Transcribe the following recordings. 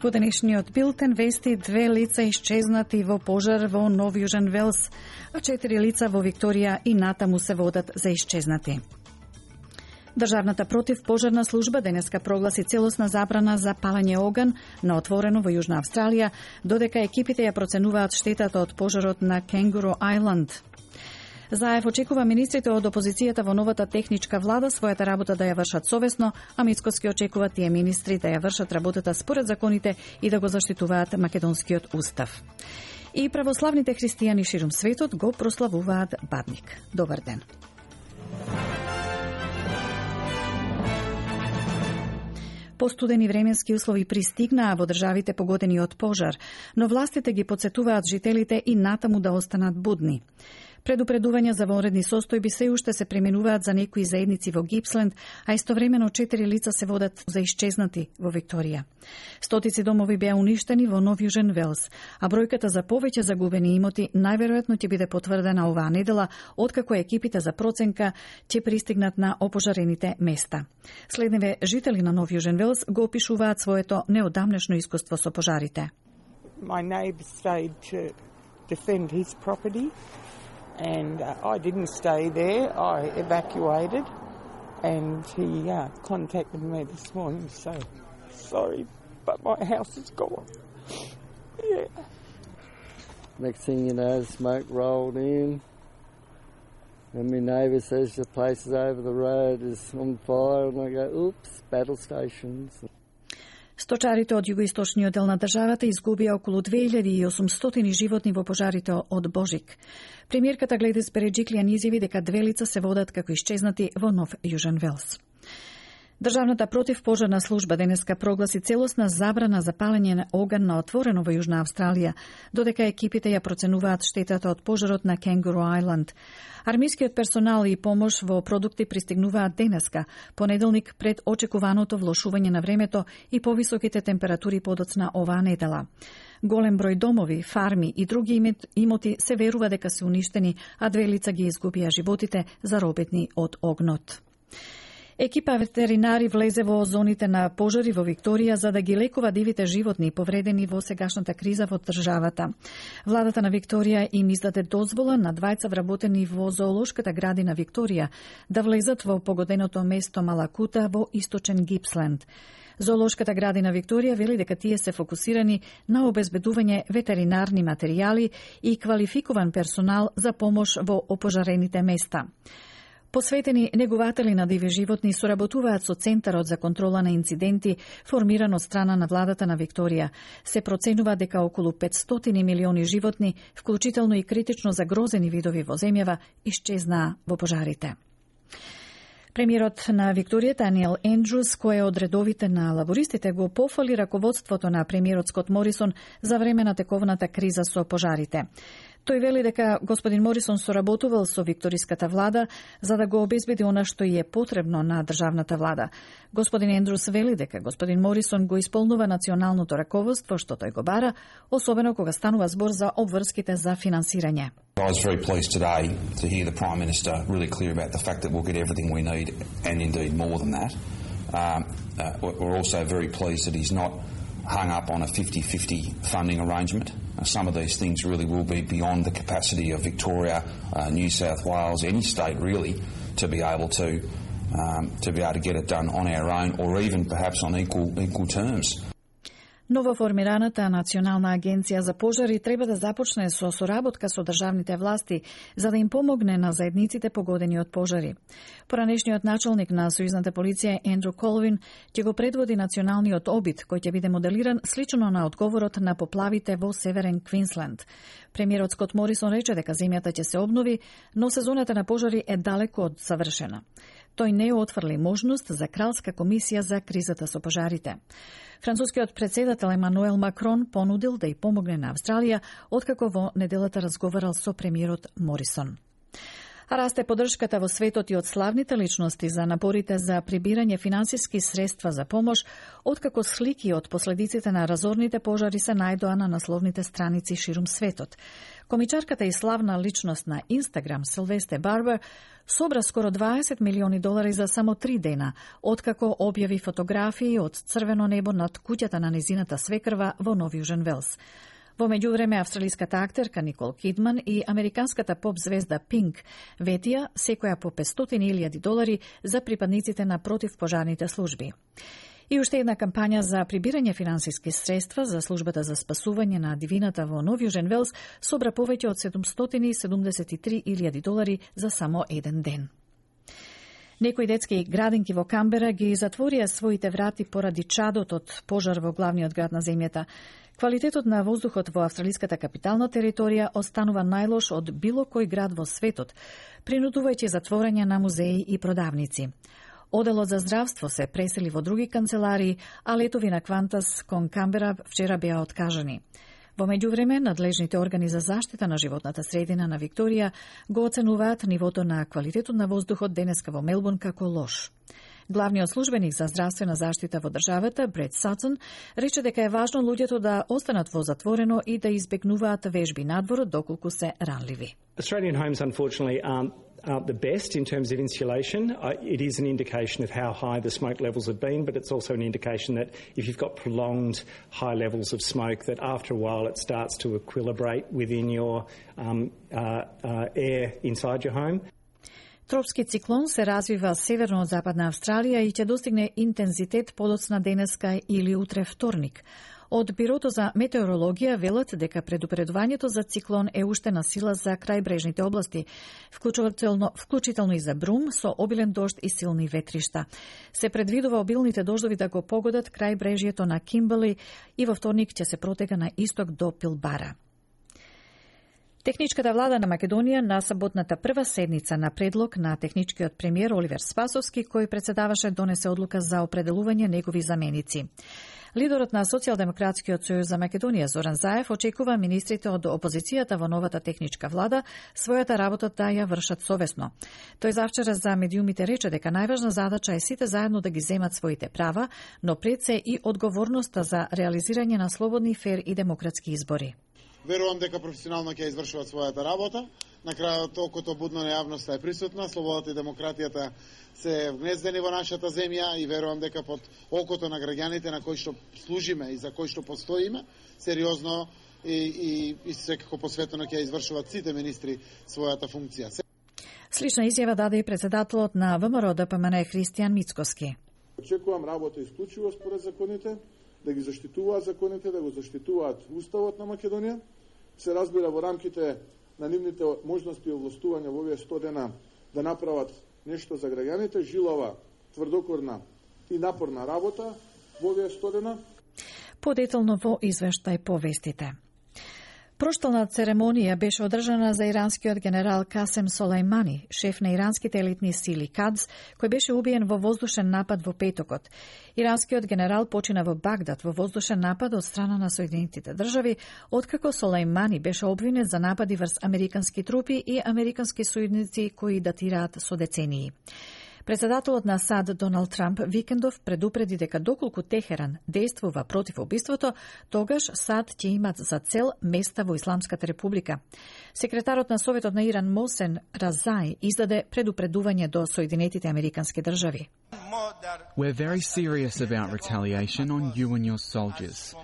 Во денешниот билтен вести 2 лица исчезнати во пожар во Нов Јужен Велс, а 4 лица во Викторија и натаму се водат за исчезнати. Државната противпожарна служба денеска прогласи целосна забрана за палење оган на отворено во Јужна Австралија, додека екипите ја проценуваат штетата од пожарот на Кенгуру Ајланд. Заев очекува министрите од опозицијата во новата техничка влада својата работа да ја вршат совесно, а Мицкоски очекува тие министри да ја вршат работата според законите и да го заштитуваат македонскиот устав. И православните христијани ширум светот го прославуваат Бадник. Добар ден. Постудени временски услови пристигнаа во државите погодени од пожар, но властите ги потсетуваат жителите и натаму да останат будни. Предупредувања за вонредни состојби се уште се применуваат за некои заедници во Гипсленд, а истовремено 4 лица се водат за исчезнати во Викторија. Стотици домови беа уништени во Нов Јужен Велс, а бројката за повеќе загубени имоти најверојатно ќе биде потврдена оваа недела, откако екипите за проценка ќе пристигнат на опожарените места. Следневе жители на Нов Јужен Велс го опишуваат своето неодамнешно искуство со пожарите. My neighbour stayed to defend his property. And I didn't stay there. I evacuated, and he contacted me this morning to say, sorry, but my house is gone. Yeah. Next thing you know, smoke rolled in, and my neighbour says the place is over the road is on fire, and I go, oops, battle stations. Сточарите од југоисточниот дел на државата изгубија околу 2800 животни во пожарите од Божик. Премиерката Гледис Береджиклијан изјави дека 2 лица се водат како исчезнати во Нов Јужен Велс. Државната противпожарна служба денеска прогласи целосна забрана за палење на оган на отворено во Јужна Австралија, додека екипите ја проценуваат штетата од пожарот на Кенгуру Ајланд. Армискиот персонал и помош во продукти пристигнуваат денеска, понеделник пред очекуваното влошување на времето и повисоките температури подоцна оваа недела. Голем број домови, фарми и други имоти се верува дека се уништени, а 2 лица ги изгубија животите заробетни од огнот. Екипа ветеринари влезе во зоните на пожари во Викторија за да ги лекува дивите животни повредени во сегашната криза во државата. Владата на Викторија им издаде дозвола на 2 вработени во зоолошката градина Викторија да влезат во погоденото место Малакута во источен Гипсленд. Зоолошката градина Викторија вели дека тие се фокусирани на обезбедување ветеринарни материјали и квалификуван персонал за помош во опожарените места. Посветени негуватели на диви животни соработуваат со Центарот за контрола на инциденти, формиран од страна на владата на Викторија. Се проценува дека околу 500 милиони животни, вклучително и критично загрозени видови во земјава, исчезнаа во пожарите. Премиерот на Викторија Даниел Ендрус, кој е од редовите на лабористите, го пофали раководството на премиерот Скот Морисон за време на тековната криза со пожарите. Тој вели дека господин Морисон соработувал со викториската влада за да го обезбеди она што и е потребно на државната влада. Господин Ендрус вели дека господин Морисон го исполнува националното раководство што тој го бара, особено кога станува збор за обврските за финансирање. I was very pleased today to hear the Prime Minister really clear about the fact that we'll get everything we need and indeed more than that. We're also very pleased that he's not hung up on a 50-50 funding arrangement. Some of these things really will be beyond the capacity of Victoria, New South Wales, any state really, to be able to get it done on our own or even perhaps on equal terms. Новоформираната Национална агенција за пожари треба да започне со соработка со државните власти за да им помогне на заедниците погодени од пожари. Поранешниот началник на Сојузната полиција Ендру Колвин ќе го предводи националниот обид кој ќе биде моделиран слично на одговорот на поплавите во Северен Квинсленд. Премиерот Скот Морисон рече дека земјата ќе се обнови, но сезоната на пожари е далеко од завршена. Тој не отфрли можност за кралска комисија за кризата со пожарите. Францускиот председател Емануел Макрон понудил да ја помогне на Австралија, откако во неделата разговарал со премиерот Морисон. А расте поддршката во светот и од славните личности за напорите за прибирање финансиски средства за помош, откако слики од последиците на разорните пожари се најдоа на насловните страници ширум светот. Комичарката и славна личност на Инстаграм Силвестер Барбер собра скоро $20 милиони за само 3 дена, откако објави фотографии од црвено небо над куќата на незината свекрва во Нов Јужен Велс. Во меѓувреме, австралиската актерка Никол Кидман и американската поп звезда Пинк ветија секоја по $500,000 за припадниците на противпожарните служби. И уште една кампања за прибирање финансиски средства за службата за спасување на дивината во Нов Јужен Велс собра повеќе од $773,000 за само еден ден. Некои детски градинки во Камбера ги затворија своите врати поради чадот од пожар во главниот град на земјата. Квалитетот на воздухот во австралиската капитална територија останува најлош од било кој град во светот, принудувајќи затворање на музеи и продавници. Оделот за здравство се пресели во други канцеларии, а летови на Квантас кон Камбера вчера беа откажани. Во меѓувреме, надлежните органи за заштита на животната средина на Викторија го оценуваат нивото на квалитетот на воздухот денеска во Мелбурн како лош. Главниот службеник за здравствена заштита во државата, Бред Сатсон, рече дека е важно луѓето да останат во затворено и да избегнуваат вежби надвор доколку се ранливи. Australian homes, unfortunately, aren't the best in terms of insulation. It is an indication of how high the smoke levels have been, but it's also an indication that if you've got prolonged high levels of smoke, that after a while it starts to equilibrate within your air inside your home. Тропски циклон се развива северно од Западна Австралија и ќе достигне интензитет подоцна денеска или утре вторник. Од Бирото за метеорологија велат дека предупредувањето за циклон е уште на сила за крајбрежните области, вклучително и за Брум, со обилен дожд и силни ветришта. Се предвидува обилните дождови да го погодат крајбрежјето на Кимберли и во вторник ќе се протега на исток до Пилбара. Техничката влада на Македонија на саботната прва седница на предлог на техничкиот премиер Оливер Спасовски, кој председаваше, донесе одлука за определување негови заменици. Лидерот на Социјалдемократскиот сојуз за Македонија Зоран Заев очекува министрите од опозицијата во новата техничка влада својата работа да ја вршат совесно. Тој завчера за медиумите рече дека најважна задача е сите заедно да ги земат своите права, но пред се и одговорноста за реализирање на слободни, фер и демократски избори. Верувам дека професионално ќе извршуваат својата работа. На крајот окото будно на јавноста е присутна, слободата и демократијата се вгнездени во нашата земја и верувам дека под окото на граѓаните на кои што служиме и за кои што постоиме, сериозно и секако посветено ќе извршуваат сите министри својата функција. Слична изјава даде и председателот на ВМРО ДПМН Христијан Мицкоски. Очекувам работа исклучиво според законите, да ги заштитуваат законите, да го заштитуваат уставот на Македонија, се разбира во рамките на нивните можности и овластувања во овие 100 дена да направат нешто за граѓаните, жилова, тврдокорна и напорна работа во овие 100 дена. Подетално во извештај по вестите. Проштална церемонија беше одржана за иранскиот генерал Касем Солајмани, шеф на иранските елитни сили КАДС, кој беше убиен во воздушен напад во петокот. Иранскиот генерал почина во Багдад во воздушен напад од страна на Соединетите држави, откако Солајмани беше обвинет за напади врз американски трупи и американски сојузници кои датираат со децении. Председателот на САД Доналд Трамп викендов предупреди дека доколку Техеран действува против убиството, тогаш САД ќе имат за цел места во Исламската република. Секретарот на Советот на Иран Мосен Разај издаде предупредување до Соединетите американски држави. We're very serious about retaliation on you and your soldiers.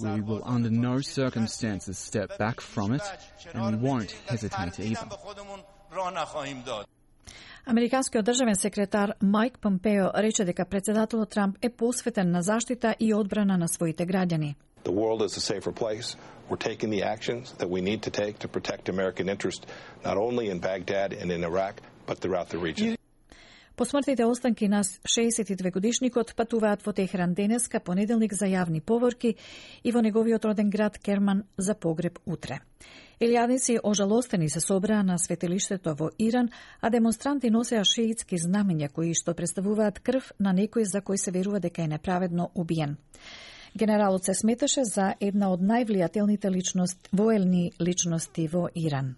We will under no circumstances step back from it, and we won't hesitate either. Американскиот државен секретар Мајк Помпео рече дека председателот Трамп е посветен на заштита и одбрана на своите граѓани. The world is a safer place. We're taking the actions that we need to take to protect American interest not only in Baghdad and in Iraq, but throughout the region. Посмртните останки на 62-годишникот патуваат во Техеран денеска, понеделник, за јавни поворки и во неговиот роден град Керман за погреб утре. Илјадници ожалостени се собраа на светилиштето во Иран, а демонстранти носеа шиитски знамења кои што представуваат крв на некој за кој се верува дека е неправедно убиен. Генералот се сметаше за една од највлијателните воелни личности во Иран.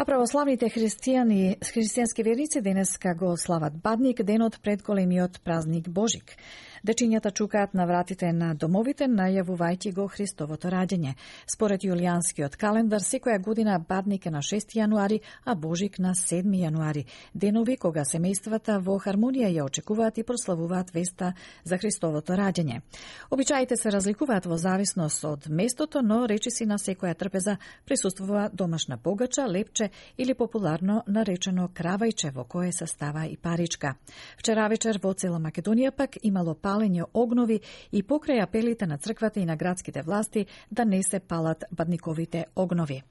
А православните христијански верници денеска го слават Бадник, денот пред големиот празник Божик. Дечињата чукаат на вратите на домовите, најавувајќи го Христовото раѓање. Според јулијанскиот календар, секоја година Бадник е на 6 јануари, а Божик на 7 јануари. Денови кога семејствата во хармонија ја очекуваат и прославуваат веста за Христовото раѓање. Обичаите се разликуваат во зависност од местото, но речиси на секоја трпеза присуствува домашна погача, лепче или популарно наречено кравајче во кое се става и паричка. Вчера вечер во цела Македонија пак имало палење огнови и покрај апелите на црквата и на градските власти да не се палат бадниковите огнови.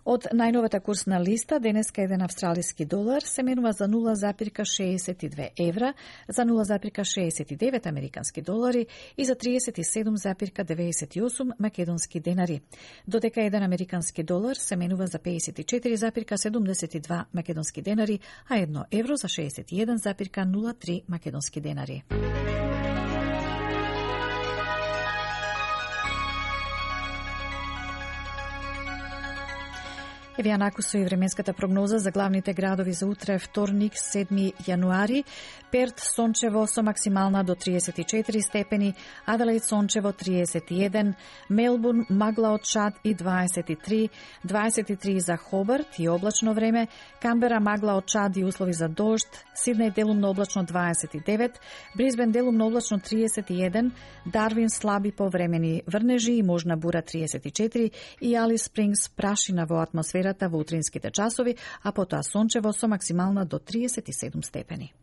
Од најновата курсна листа, денеска еден австралиски долар се менува за 0,62 евра, за 0,69 американски долари и за 37,98 македонски денари. Додека еден американски долар се менува за 54,72 македонски денари, а 1 евро за 61,03 македонски денари. Еве ја накусо и временската прогноза за главните градови за утре, вторник, 7 јануари. Перт сончево со максимална до 34 степени, Аделаид сончево 31, Мелбурн магла од чад и 23 за Хобарт и облачно време, Камбера магла од чад и услови за дожд, Сиднеј делумно облачно 29, Брисбен делумно облачно 31, Дарвин слаби повремени врнежи и можна бура 34 и Алис Спрингс прашина во атмосферата во утринските часови, а потоа сончево со максимална до 37 степени.